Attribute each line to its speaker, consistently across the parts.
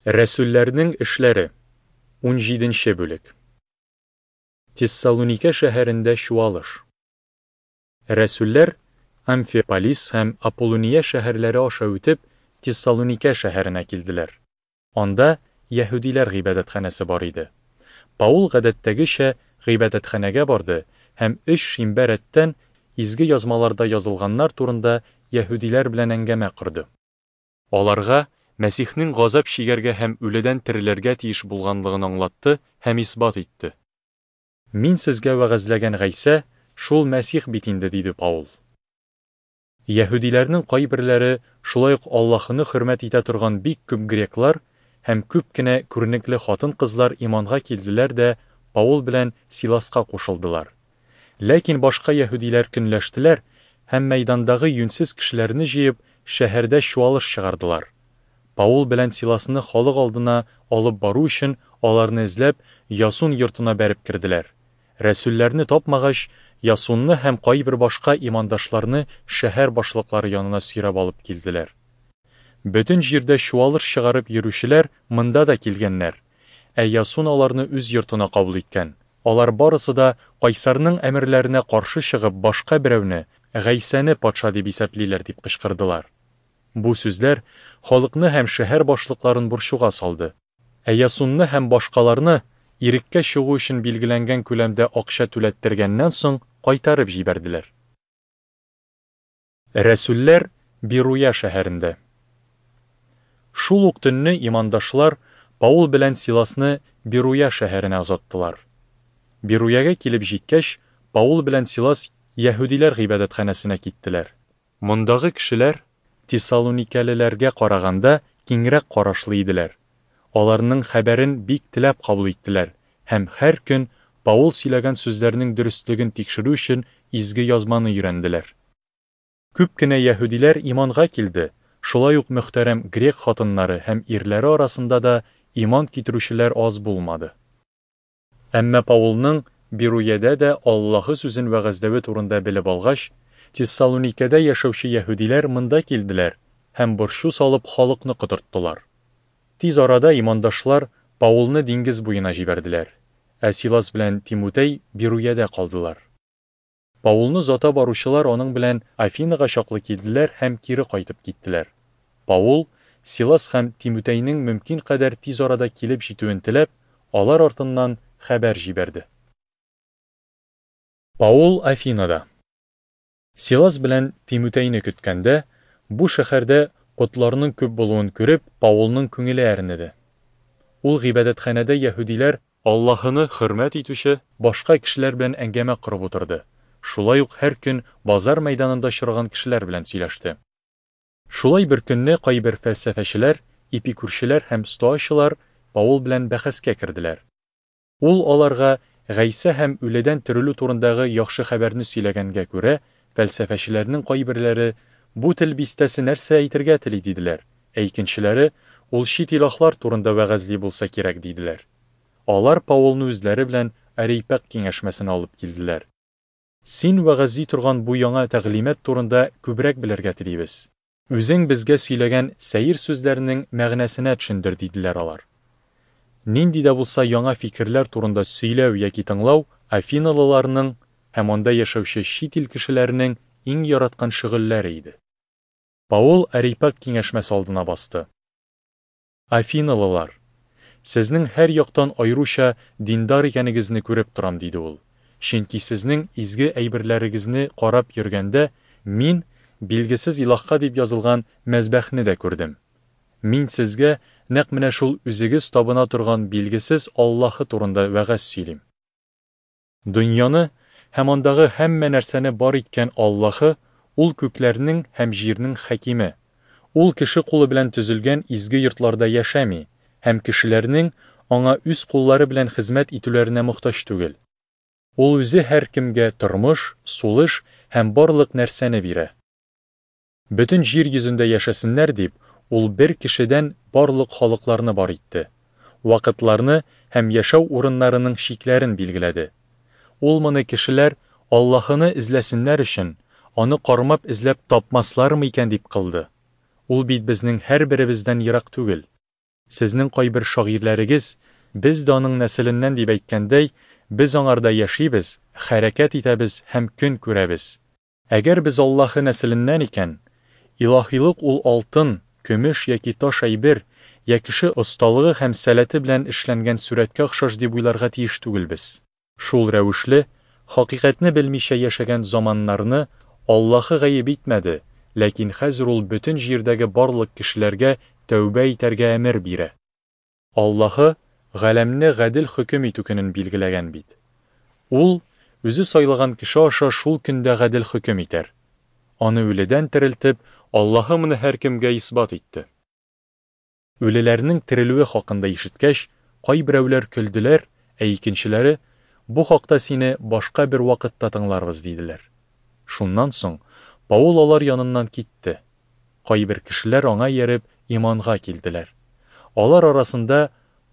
Speaker 1: Рәсүлләрнең эшләре, унҗиденче бүлек. Тессалуникә шәһәрендә чуалыш. Рәсүлләр, Амфиполис һәм Аполлония шәһәрләре аша үтеп, Тессалуникә шәһәренә килделәр. Анда яһүдиләр гыйбадәтханәсе бар иде. Паул гадәттәгечә гыйбадәтханәгә барды һәм өч шимбә рәттән Изге Язмаларда язылганнар турында яһүдиләр белән әңгәмә корды. Аларга Мәсихнең газап чигәргә һәм үледән терелергә тиеш булганлыгын аңлатты һәм исбат итте. Мин сезгә вәгазьләгән Гайсә, шул Мәсих бит инде, диде Паул. Яһүдиләрнең кайберләре, шулай ук Аллаһыны хөрмәт итә торган бик күп греклар һәм күп кенә күренекле хатын-кызлар иманга килделәр дә Паул белән Силаска кушылдылар. Ләкин башка яһүдиләр көнләштеләр һәм, мәйдандагы юньсез кешеләрне җыеп, шәһәрдә чуалыш чыгардылар. Паул белән Силасны халык алдына алып бару өчен, аларны эзләп, Ясун йортына бәреп керделәр. Рәсүлләрне тапмагач, Ясунны һәм кайбер башка имандашларны шәһәр башлыклары янына сөйрәп алып килделәр. Бөтен җирдә чуалыш чыгарып йөрүчеләр монда да килгәннәр, ә Ясун аларны үз йортына кабул иткән. Алар барысы да, кайсарның әмерләренә каршы чыгып, башка берәүне, Гайсәне патша дип исәплиләр, дип кычкырдылар. Бу сүзләр халыкны һәм шәһәр башлыкларын борчуга салды. Ә Ясунны һәм башкаларны, иреккә чыгу өчен билгеләнгән күләмдә акча түләттергәннән соң, кайтарып җибәрделәр. Рәсүлләр Беруя шәһәрендә. Шул ук төнне имандашлар Паул белән Силасны Беруя шәһәренә озаттылар. Беруягә килеп җиткәч, Паул белән Силас яһүдиләр гыйбадәтханәсенә киттеләр. Мондагы кешеләр, тессалуникәлеләргә караганда, киңрәк карашлы иделәр. Аларның хәбәрен бик теләп кабул иттеләр һәм һәр көн Паул сөйләгән сүзләрнең дөреслеген тикшерү өчен Изге Язманы өйрәнделәр. Күп кенә яһүдиләр иманга килде, шулай ук мөхтәрәм грек хатыннары һәм ирләре арасында да иман китерүчеләр аз булмады. Әмма Паулның Беруядә дә Аллаһы сүзен вәгазьләве турында белеп алгач, Тессалуникәдә яшәүче яһүдиләр монда килделәр һәм борчу салып халыкны котырттылар. Тиз арада имандашлар Паулны диңгез буена җибәрделәр, ә Силас белән Тимутәй Беруядә калдылар. Паулны озата баручылар аның белән Афинага чаклы килделәр һәм кире кайтып киттеләр. Паул, Силас һәм Тимутәйнең мөмкин кадәр тиз арада килеп җитүен теләп, алар артыннан хәбәр җибәрде. Паул Афинада. Силас белән Тимутәйне көткәндә, бу шәһәрдә потларның күп булуын күреп, Паулның күңеле әрнеде. Ул гыйбадәтханәдә яһүдиләр Аллаһыны хөрмәт итүче башка кешеләр белән әңгәмә корып утырды, шулай ук һәр көн базар мәйданында очраган кешеләр белән сөйләште. Шулай бер көнне кайбер фәлсәфәчеләр, эпикүрчеләр һәм стоачылар Паул белән бәхәскә керделәр. Ул аларга Гайсә һәм үледән терелү турындагы яхшы хәбәрне сөйләгәнгә күрә, фәлсәфәчеләрнең кайберләре, Бу тел бистәсе нәрсә әйтергә тели, диделәр, ә икенчеләре, Ул чит илаһлар турында вәгазьли булса кирәк, диделәр. Алар Паулны үзләре белән Арейпаг киңәшмәсенә алып килделәр. Син вәгазьли торган бу яңа тәгълимат турында күбрәк белергә телибез. Үзең безгә сөйләгән сәер сүзләрнең мәгънәсенә төшендер, диделәр алар. Нинди дә булса яңа фикерләр турында сөйләү яки тыңлау афиналыларның һәм анда яшәүче чит ил кешеләренең иң яраткан шөгыльләре иде. Паул Арейпаг киңәшмәсе алдына басты. Афиналылар! Сезнең һәр яктан аеруча диндар икәнегезне күреп торам, диде ул, чөнки сезнең изге әйберләрегезне карап йөргәндә, мин Билгесез илаһка дип язылган мәзбәхне дә күрдем. Мин сезгә нәкъ менә шул үзегез табына торган билгесез Аллаһы турында вәгазь сөйлим. Дөньяны һәм андагы һәммә нәрсәне бар иткән Аллаһы, ул күкләрнең һәм җирнең хакиме. Ул кеше кулы белән төзелгән изге йортларда яшәми һәм кешеләрнең аңа үз куллары белән хезмәт итүләренә мохтаҗ түгел. Ул үзе һәркемгә тормыш, сулыш һәм барлык нәрсәне бирә. Бөтен җир йөзендә яшәсеннәр дип, ул бер кешедән барлык халыкларны бар итте. Вакытларны һәм яшәү урыннарының чикләрен билгеләде. Ул моны кешеләр Аллаһыны эзләсеннәр өчен, аны кармап эзләп тапмаслармы икән дип кылды. Ул бит безнең һәрберебездән ерак түгел. Сезнең кайбер шагыйрьләрегез, без дә аның нәселеннән дип әйткәндәй, без аңарда яшибез, хәрәкәт итәбез һәм көн күрәбез. Әгәр без Аллаһы нәселеннән икән, илаһилык ул алтын, көмеш яки таш әйбер, я кеше осталыгы һәм сәләте белән эшләнгән сурәткә охшаш дип уйларга тиеш түгелбез. Шул рәвешле, хакыйкатьне белмичә яшәгән заманнарны Аллаһы гаеп итмәде, ләкин хәзер ул бөтен җирдәге барлык кешеләргә тәүбә итәргә әмер бирә. Аллаһы галәмне гадел хөкем итү көнен билгеләгән бит. Ул Үзе сайлаган кеше аша шул көндә гадел хөкем итәр. Аны үледән терелтеп, Аллаһы моны һәркемгә исбат итте. Үлеләрнең терелүе хакында ишеткәч, кайберәүләр көлделәр, ә икенчеләре, Бу хакта сине башка бер вакытта тыңларбыз, диделәр. Шуннан соң Паул алар яныннан китте. Кайбер кешеләр аңа ияреп иманга килделәр. Алар арасында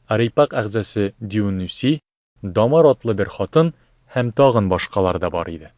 Speaker 1: Арейпаг әгъзасы Дионисий, Дамар атлы бер хатын һәм тагын башкалар да бар иде.